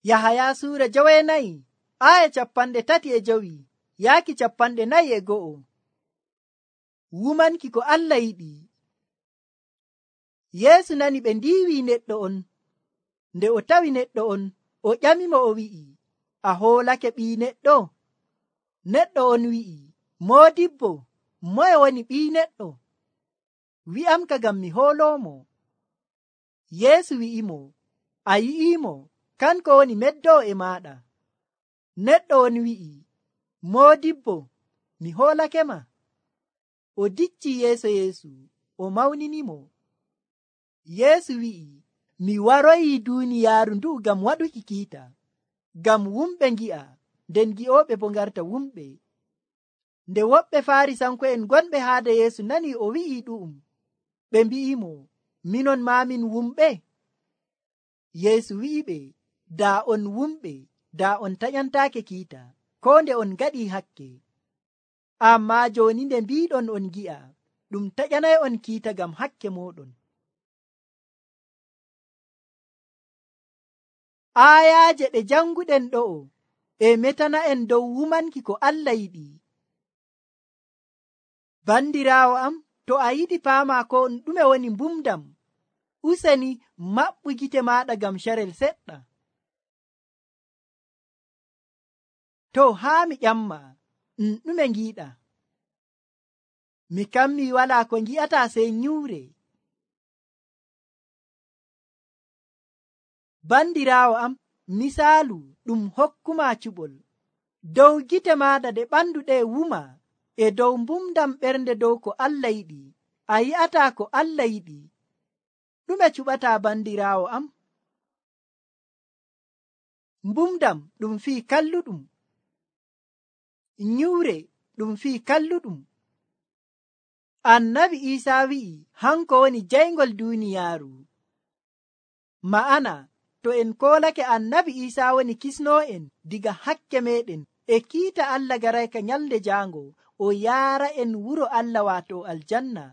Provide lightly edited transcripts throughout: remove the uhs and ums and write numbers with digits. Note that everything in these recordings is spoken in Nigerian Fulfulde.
Yahaya suura 9 aya 35 yaaki 41. Wumanki ko Allah yiɗi. Yeesu nani ɓe ndiiwi neɗɗo on. Nde o tawi neɗɗo on, o ƴamimo o wi'i, a hoolake ɓii neɗɗo? Neɗɗo on wi'i, Moodibbo, moye woni ɓii neɗɗo? Wi'amka ngam mi hooloomo. Yeesu wi'imo, a yi'iimo, kanko woni meddoo e maaɗa. Neɗɗo on wi'i, Moodibbo, mi hoolake ma. O dicci yeeso Yeesu, o mawninimo. Yeesu wi'i, mi waroyi duuniyaaru ndu'u ngam waɗuki kiita, ngam wumɓe ngi'a, nden gi'ooɓe bo ngarta wumɓe. Nde woɓɓe Faarisanko'en gonɓe haade Yeesu nani o wi'i ɗu'um, ɓe mbi'imo, minon maa min wumɓe? Yeesu wi'iɓe, daa on wumɓe, daa on taƴantaake kiita, koo nde on ngaɗii hakke. Ammaa jooni nde mbiiɗon on gi'a, ɗum taƴanay on kiita ngam hakke mooɗon. Aayaaje ɗe janguɗen ɗo'o e metana'en dow wumanki ko Allah yiɗi. Bandiraawo am, to a yiɗi paama ko ɗume woni mbumdam, useni maɓɓu gite maaɗa ngam carel seɗɗa. To haa mi ƴamma, ɗume ngiiɗa? Mi kammi walaa ko ngi'ataa sey nyuure. Bandiraawo am, misaalu ɗum hokkuma cuɓol. Dow gite maaɗa ɗe ɓandu ɗe wuma, e dow mbumdam ɓernde dow ko Allah yiɗi, a yi'ataa ko Allah yiɗi. Ɗume cuɓataa bandiraawo am? Mbumdam ɗum fii kalluɗum. Nyuure ɗum fii kalluɗum. Annabi Iisaa wi'i hanko woni jayngol duuniyaaru. Ma'ana, to en koolake annabi Iisaa woni kisnoo'en diga hakke meɗen e kiita Allah garayka nyalde jaango, o yaara en wuro Allah waato aljanna.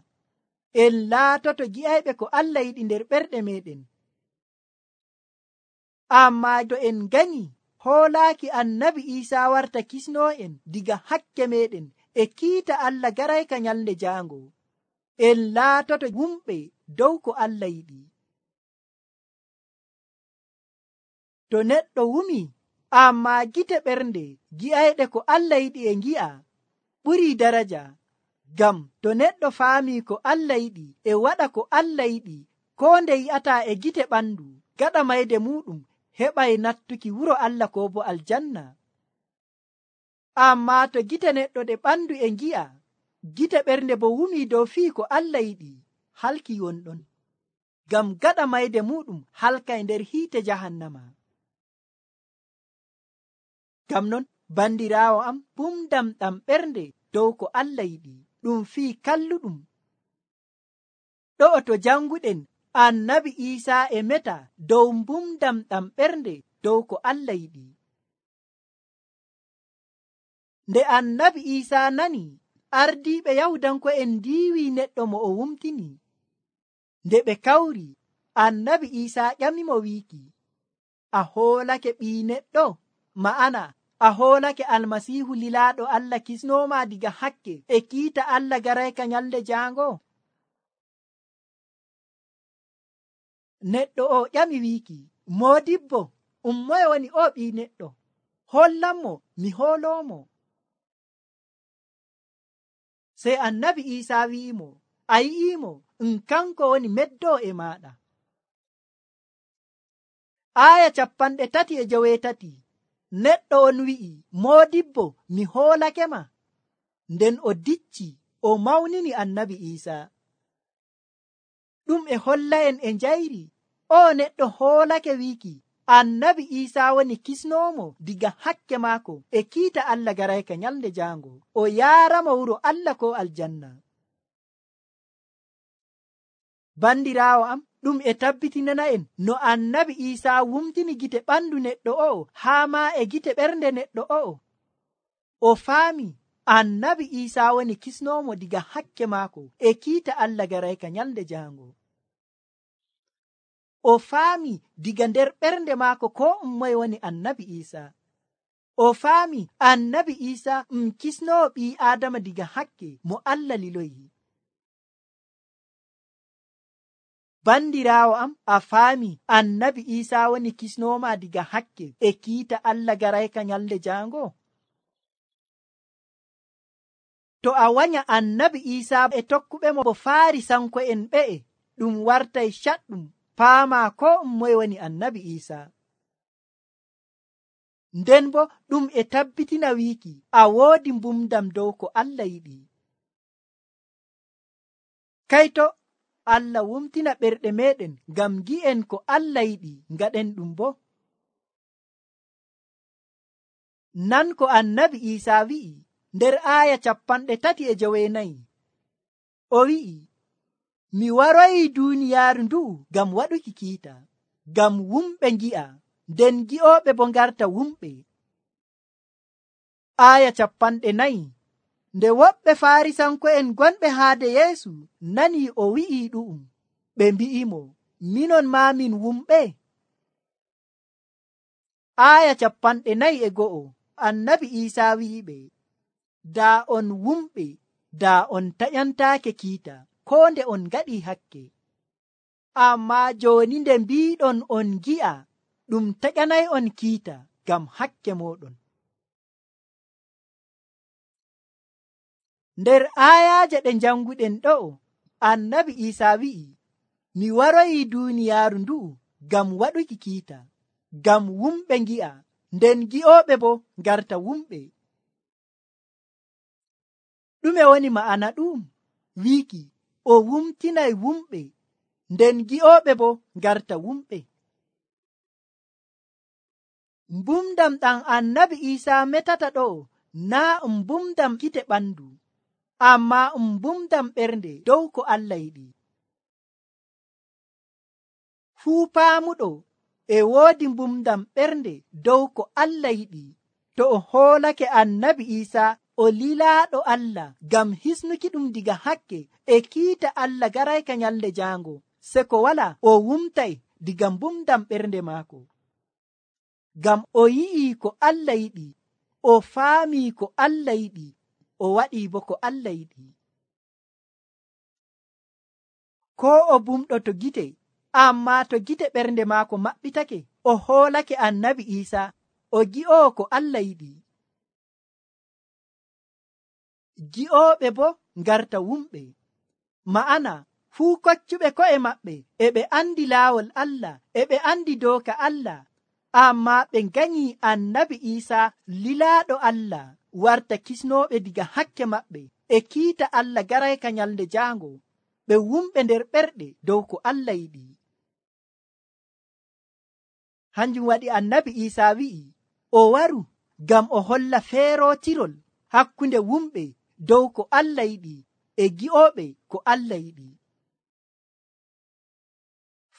En laatoto gi'ayɓe ko Allah yiɗi nder ɓerɗe meɗen. Ammaa to en ganyi hoolaaki annabi Iisaa warta kisnoo'en diga hakke meɗen e kiita Allah garayka nyalde jaango, en laatoto wumɓe dow ko Allah yiɗi. To neɗɗo wumi, ammaa gite ɓernde gi'ayɗe ko Allah yiɗi e ngi'a, ɓurii daraja. Ngam to neɗɗo faamii ko Allah yiɗi e waɗa ko Allah yiɗi, koo nde yi'ataa e gite ɓandu, gaɗa mayde muɗum heɓay nattuki wuro Allah ko bo aljanna. Ammaa to gite neɗɗo ɗe ɓandu e ngi'a, gite ɓernde bo wumii dow fii ko Allah yiɗi, halki wonɗon. Ngam gaɗa mayde muɗum halkay nder hiite jahannama. Ngam non, bandiraawo am, mbumdam ɗam ɓernde dow ko Allah yiɗi, ɗum fii kalluɗum. Ɗo'o to janguɗen, annabi Iisaa e meta dow mbumdam ɗam ɓernde dow ko Allah yiɗi. Nde annabi Iisaa nani, ardiiɓe Yahudanko'en ndiiwi neɗɗo mo o wumtini. Nde ɓe kawri, annabi Iisaa ƴamimo wiiki, a hoolake ɓii neɗɗo? Ma'ana, a hoolake Almasiihu lilaaɗo Allah kisnooma diga hakke e kiita Allah garayka nyalde jaango? Neɗɗo o ƴami wiiki, Moodibbo, moye woni o ɓii neɗɗo? Hollanmo mi hooloomo. Sey annabi Iisaa wi'imo, a yi'iimo, kanko woni meddoo e maaɗa. Aya 38. Neɗɗo on wi'i, Moodibbo, mi hoolake ma. Nden o dicci, o mawnini annabi Iisaa. Ɗum e holla en e njayri, o neɗɗo hoolake wiiki, annabi Iisaa woni kisnoomo diga hakke maako e kiita Allah garayka nyalde jaango, o yaaramo wuro Allah ko aljanna. Bandiraawo am, ɗum e tabbitinana en no annabi Iisaa wumtini gite ɓandu neɗɗo o'o haa maa e gite ɓernde neɗɗo o'o. O faami annabi Iisaa woni kisnoomo diga hakke maako e kiita Allah garayka nyalde jaango. o faami diga nder ɓernde maako ko moye woni annabi Isa. O faami annabi Isa kisnowo ɓii Adama diga hakke mo Allah liloyi. Bandiraawo am, a faami annabi Isa woni kisnoma diga hakke e kiita Allah garayka nyalde jango? To a wanya annabi Isa e tokkuɓe mo bo Farisanko'en ɓe'e, ɗum wartay caɗɗum paama ko moye woni annabi Isa. Nden bo ɗum e tabbitina wiiki a woodi mbumdam dow ko Allah yiɗi. Kayto Allah wumtina ɓerɗe meɗen ngam gi'en ko Allah yiɗi ngaɗen ɗum bo. Nan ko annabi Isa wi'i nder aaya 34. O wi'i, mi waroyi duuniyaaru ndu'u ngam waɗuki kiita, ngam wumɓe ngi'a, nden gi'ooɓe bo ngarta wumɓe. Aaya 40. Nde woɓɓe Farisanko'en gonɓe haade Yeesu nani o wi'i ɗu'um, ɓe mbi'imo, minon maa min wumɓe? Aaya 41. Annabi Isa wi'iɓe, daa on wumɓe, daa on taƴantaake kiita, ko nde on ngaɗi hakke. Ammaa jooni nde mbiiɗon on gi'a, ɗum taƴanay on kiita ngam hakke mooɗon. Nder aayaaje ɗe janguɗen ɗo'o, annabi Isa wi'i, mi waroyi duuniyaaru ndu'u ngam waɗuki kiita, ngam wumɓe ngi'a, nden gi'ooɓe bo ngarta wumɓe. Ɗume woni ma'ana ɗum? Wiiki o wumtinay wumɓe, nden gi'ooɓe bo ngarta wumɓe. Mbumdam ɗam annabi Isa metata ɗo'o naa mbumdam gite ɓandu, amma mbumdam ɓernde dow ko Allah yiɗi. Fuu paamuɗo e woodi mbumdam ɓernde dow ko Allah yiɗi. To o hoolake annabi Isa o lilaaɗo Allah ngam hisnuki ɗum diga hakke e kiita Allah garayka nyalde jango, se ko wala o wumtay diga mbumdam ɓernde maako. Ngam o yi'i ko Allah yiɗi, o faami ko Allah yiɗi, o waɗi bo ko Allah yiɗi. Ko o bumɗo to gite, amma to gite ɓernde maako maɓɓitake, o hoolake annabi Isa, o gi'o ko Allah yiɗi. Gi'ooɓe bo ngarta wumɓe, ma'ana fuu koccuɓe ko'e maɓɓe e ɓe andi laawol Allah, e ɓe andi dooka Allah, amma ɓe nganyi annabi Isa lilaaɗo Allah warta kisnooɓe diga hakke maɓɓe e kiita Allah garayka nyalde jango, ɓe wumɓe nder ɓerɗe dow ko Allah yiɗi. Hanjum waɗi annabi Isa wi'i o waru ngam o holla feerotirol hakkunde wumɓe dow ko Allah yiɗi e gi'ooɓe ko Allah yiɗi.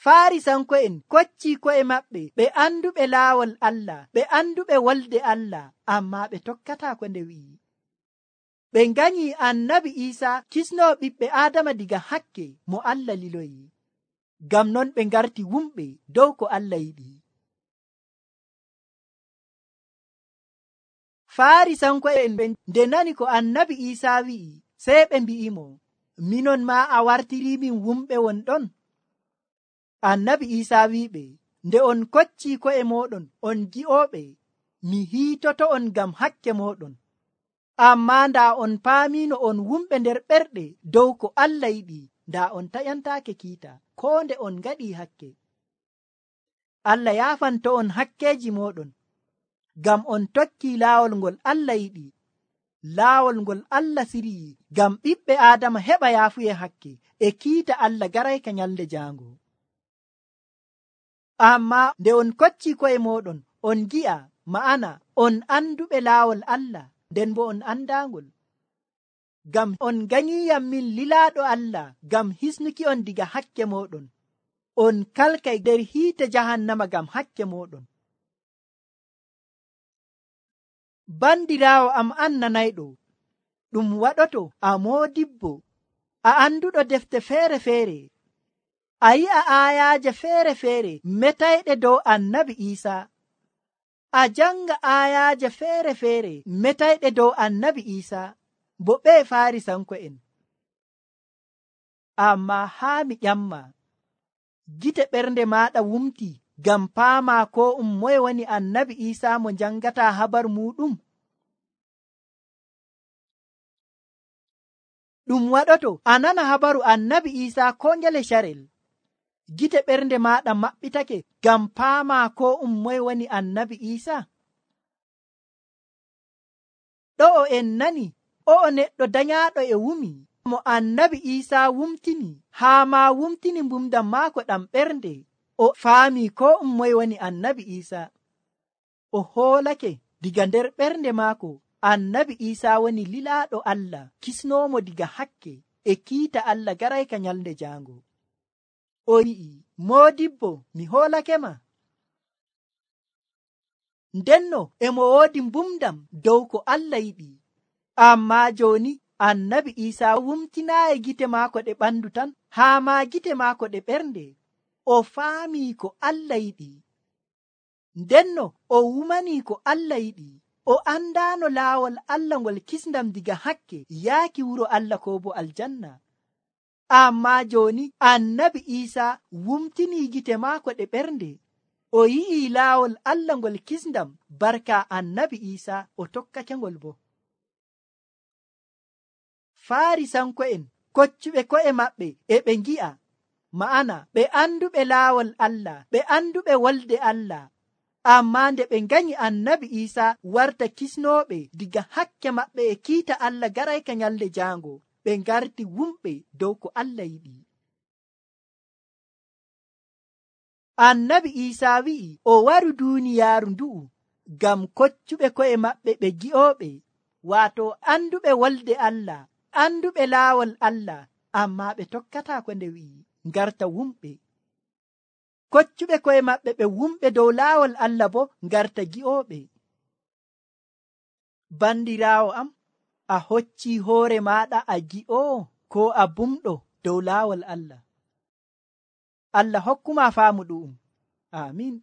Farisanko'en kocci ko'e maɓɓe ɓe anduɓe laawol Allah, ɓe anduɓe wolde Allah, amma ɓe tokkata ko nde wi'i. Ɓe nganyi annabi Isa kisno ɓiɓɓe Adama diga hakke mo Allah liloyi, ngam non ɓe ngarti wumɓe dow ko Allah yiɗi. Farisanko'en ɓe nde nani ko annabi Isa wi'i, sey ɓe mbi'imo, minon ma a wartiri min wumɓe won ɗon? Annabi Isa wi'iɓe, nde on kocci ko'e moɗon on gi'ooɓe, mi hiitoto on ngam hakke moɗon. Amma ndaa on paamino on wumɓe nder ɓerɗe dow ko Allah yiɗi, ndaa on taƴantaake kiita, ko nde on ngaɗi hakke. Allah yaafanto on hakkeji moɗon, ngam on tokki laawol ngol Allah yiɗi, laawol ngol Allah siryi ngam ɓiɓɓe Adama heɓa yaafuye hakke e kiita Allah garayka nyalde jango. Amma nde on kocci ko'e moɗon on gi'a, ma'ana on anduɓe laawol Allah, nden bo on andangol, ngam on ganyiyam min lilaaɗo Allah ngam hisnuki on diga hakke moɗon, on kalkay nder hiite jahannama ngam hakke moɗon. Bandiraawo am annanayɗo, ɗum waɗoto a moodibbo, a anduɗo defte feere-feere, a yi'a aayaaje feere metayɗe dow annabi Iisaa. A janga aayaaje feere metayɗe dow annabi Iisaa, bo ɓe Faarisanko'en. Amma haa mi ƴamma, gite ɓernde maaɗa wumti ngam paama ko moye woni annabi Iisaa mo jangata habar muɗum? Ɗum waɗoto a nana habaru annabi Iisaa ko ngele carel, gite ɓernde maaɗa maɓɓitake ngam paama ko moye woni annabi Iisaa? Ɗo'o en nani o'o neɗɗo danyaaɗo e wumi mo annabi Iisaa wumtini, haa ma wumtini mbumdam maako ɗam ɓernde, o faami ko moye woni annabi Iisaa. O hoolake diga nder ɓernde maako annabi Iisaa woni lilaaɗo Allah, kisnoomo diga hakke e kiita Allah garayka nyalnde jaango. O wi'i, moodibbo, mi hoolake ma. Ndenno emo woodi mbumdam dow ko Allah yiɗi. Amma jooni annabi Iisaa wumtinaayi gite maako ɗe ɓandu tan, haa ma gite maako ɗe ɓernde. O faami ko Allah yiɗi. Ndenno o wumanii ko Allah yiɗi. O andaano laawol Allah ngol kisndam diga hakke yaaki wuro Allah ko bo aljanna. Amma jooni annabi Iisaa wumtinii gite maako ɗe ɓernde. O yi'i laawol Allah ngol kisndam barka annabi Iisaa, o tokkake ngol bo. Faarisanko'en koccuɓe ko'e maɓɓe e ɓe ngi'a, ma'ana ɓe anduɓe laawol Allah, ɓe anduɓe wolde Allah. Amma nde ɓe nganyi annabi Iisaa warta kisnooɓe diga hakke maɓɓe e kiita Allah garayka nyalde jaango, ɓe ngarti wumɓe dow ko Allah yiɗi. Annabi Iisaa wi'i o waru duuniyaaru ndu'u ngam koccuɓe ko'e maɓɓe ɓe gi'ooɓe, waato anduɓe wolde Allah, anduɓe laawol Allah, amma ɓe tokkataa ko nde wi'i, ngarta wumɓe. Koccuɓe ko'e maɓɓe ɓe wumɓe dow laawol Allah bo ngarta gi'ooɓe. Bandiraawo am, a hoccii hoore maaɗa a gi'oo ko a bumɗo dow laawol Allah? Allah hokkuma faamu ɗu'um. Amin.